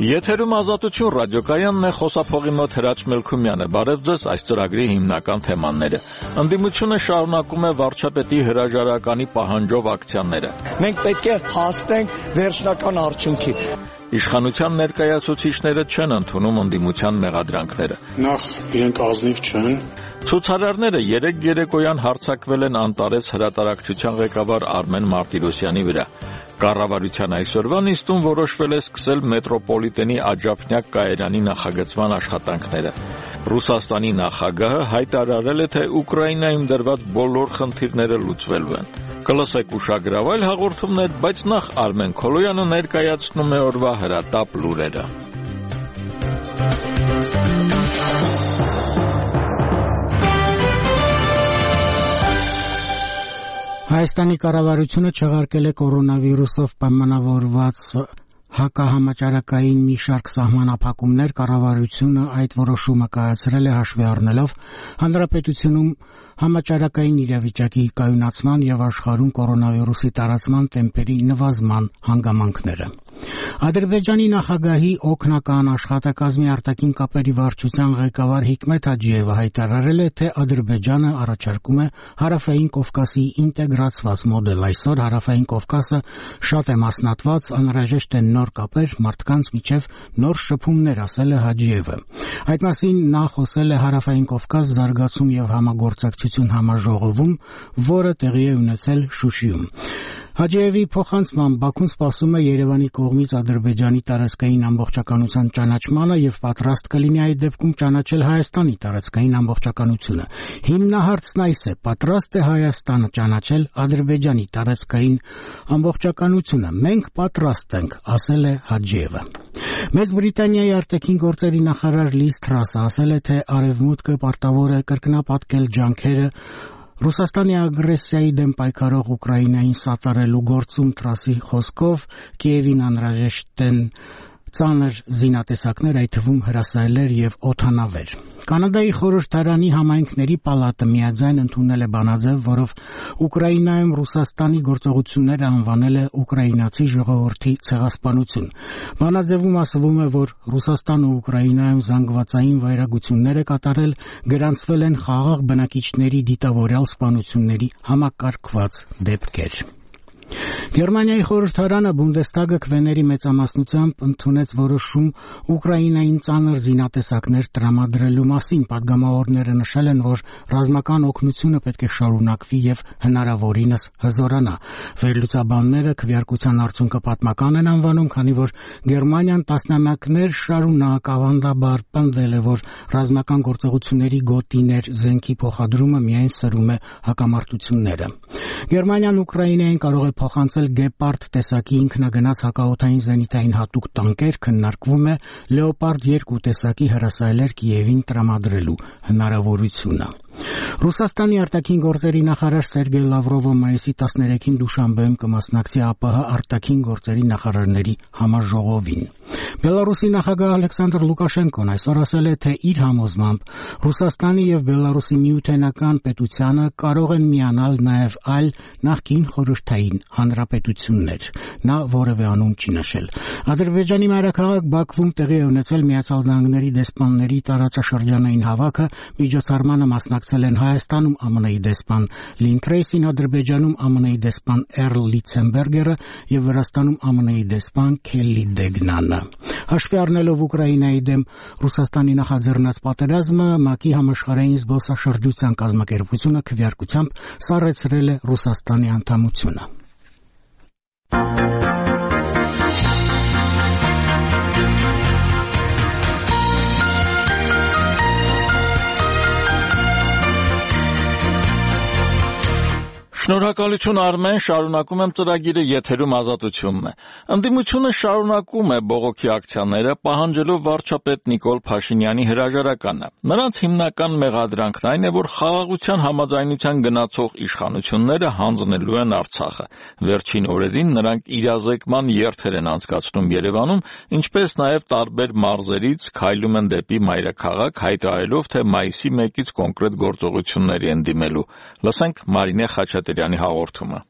Եթերում Ազատություն ռադիոկայանն է, խոսափողի մոտ Հրաչ Մելքումյանը։ Բարև ձեզ, այս ծրագրի հիմնական թեմաները։ Ընդդիմությունը շարունակում է վարչապետի հրաժարականի պահանջով ակցիաները։ Մենք պետք է հասնենք վերջնական արդյունքի։ Իշխանության ներկայացուցիչները չեն ընդունում ընդդիմության մեղադրանքները։ Նախ իրենք ազնիվ չեն։ Ցուցարարները երեկ երեկոյան հարձակվել են Անտարես հրատարակչության ղեկավար Արմեն Մարտիրոսյանի վրա։ Կառավարության այսօրվա նիստում որոշվել է սկսել մետրոպոլիտենի Աջափնյակ կայարանի նախագծման աշխատանքները։ Ռուսաստանի նախագահը հայտարարել է, թե Ուկրաինայում դրված բոլոր խնդիրները լուծվելու են։ Կլսեք ուշագրավ այլ հաղորդումներ, բայց նախ Արմեն Քոլոյանը ներկայացնում է օրվա հրատապ լուրերը։ Հայաստանի կառավարությունը չեղարկել է կորոնավիրուսով պայմանավորված հակահամաճարակային մի շարք սահմանափակումներ։ Կառավարությունը այդ որոշումը կայացրել է հաշվի առնելով հանրապետությունում համաճարակային իրավիճակի կայունացման եւ աշխարհում կորոնավիրուսի տարածման տեմպերի նվազման հանգամանքները։ Ադրբեջանի նախագահի օգնական աշխատակազմի արտաքին կապերի վարչության ղեկավար Հիկմետ Հաջիևը հայտարարել է, թե Ադրբեջանը առաջարկում է Հարավային Կովկասի ինտեգրացված մոդել։ Այսօր Հարավային Կովկասը շատ է մասնատված, անհրաժեշտ են նոր կապեր, մարդկանց միջև նոր շփումներ, ասել է Հաջիևը։ Այդ մասին նա խոսել է Հարավային Կովկաս զարգացում եւ համագործակցություն համաժողովում, որը տեղի է ունեցել Շուշիում։ Հաջիևի փոխանցմամբ Բաքուն սպասում է Երևանի կողմից Ադրբեջանի տարածքային ամբողջականության ճանաչմանը եւ պատրաստ կլինի այդ դեպքում ճանաչել Հայաստանի տարածքային ամբողջականությունը։ Հիմնահարցն այս է. պատրաստ է Հայաստանը ճանաչել Ադրբեջանի տարածքային ամբողջականությունը։ Մենք պատրաստ ենք, ասել է Հաջիևը։ Մեծ Բրիտանիայի արտաքին գործերի նախարար Լիզ Թրասը ասել է, թե Արևմուտքը պարտավոր է կրկնապատկել ջանքերը Ռուսաստանի ագրեսիայի դեմ պայքարող Ուկրաինային սատարելու գործում։ Թրասի խոսքով Կիևին անհրաժեշտ են ծանր զինատեսակներ, այդ թվում հրասայլեր եւ օդանավեր։ Կանադայի խորհրդարանի համայնքների պալատը միաձայն ընդունել է բանաձև, որով Ուկրաինայում Ռուսաստանի գործողությունները անվանել է ուկրաինացի ժողովրդի ցեղասպանություն։ Բանաձևում ասվում է, որ Ռուսաստանը Ուկրաինայում զանգվածային վայրագություններ է կատարել, գրանցվել են խաղաղ բնակիչների դիտավորյալ սպանությունների համակարգված դեպքեր։ Գերմանիայի խորհրդարանը Բունդեստագը քվեների մեծամասնությամբ ընդունեց որոշում Ուկրաինային ծանր զինատեսակներ տրամադրելու մասին։ Պատգամավորները նշել են, որ ռազմական օգնությունը պետք է շարունակվի եւ հնարավորինս հզորանա։ Վերլուծաբանները քվեարկության արդյունքը պատմական են անվանում, քանի որ Գերմանիան տասնամյակներ շարունակ ավանդաբար պնդել է, որ ռազմական գործողությունների գոտիներ զենքի փոխադրումը միայն սրում է հակամարտությունները։ Գերմանիան Ուկրաինային կարող է փոխանցել Գեպարդ տեսակի ինքնագնաց հակաօդային զենիթային հատուկ տանկեր, քննարկվում է Լեոպարդ 2 տեսակի հրասայլեր Կիևին տրամադրելու հնարավորությունը։ Ռուսաստանի արտաքին գործերի նախարար Սերգեյ Լավրովը մայիսի 13-ին Դուշանբեում կմասնակցի ԱՊՀ արտաքին գործերի նախարարների համաժողովին։ Բելարուսի նախագահ Ալեքսանդր Լուկաշենկոն այսօր ասել է, թե իր համոզմամբ Ռուսաստանի եւ Բելարուսի միութենական պետությանը կարող են միանալ նաեւ այլ նախկին խորհրդային հանրապետություններ։ Նա որևէ անուն չի նշել։ Ադրբեջանի մայրաքաղաք Բաքվում տեղի է ունեցել Միացյալ Նահանգների դեսպանների տարածաշրջանային հավաքը, միջոցառմանը մասնակցել են Հայաստանում ԱՄՆ-ի դեսպան Լին Թրեյսին, Ադրբեջանում ԱՄՆ-ի դեսպան Էրլ Լիցենբերգերը եւ Վրաստանում ԱՄՆ-ի դեսպան Քելլի Դեգնանը։ Հաշվի առնելով Ուկրաինայի դեմ Ռուսաստանի նախաձեռնած պատերազմը, ՄԱԿ-ի համաշխարհային զբոսաշրջության կազմակերպությունը քվեարկությամբ սառեցրել է Ռուսաստանի անդամությունը։ Շնորհակալություն Արմեն, շարունակում եմ ծրագիրը, եթերում Ազատությունն է։ Ընդդիմությունը շարունակում է բողոքի ակցիաները, պահանջելով վարչապետ Նիկոլ Փաշինյանի հրաժարականը։ Նրանց հիմնական մեղադրանքն այն է, որ խաղաղության համաձայնության գնացող իշխանությունները հանձնելու են Արցախը։ Վերջին օրերին նրանք իրազեկման երթեր են անցկացնում Երևանում, ինչպես նաև տարբեր մարզերից քայլում են դեպի մայրաքաղաք, հայտարարելով, թե մայիսի 1-ից կոնկրետ գործողությունների են դիմելու։ Լսենք Մարինե Խաչատրյանի հաղորդումը։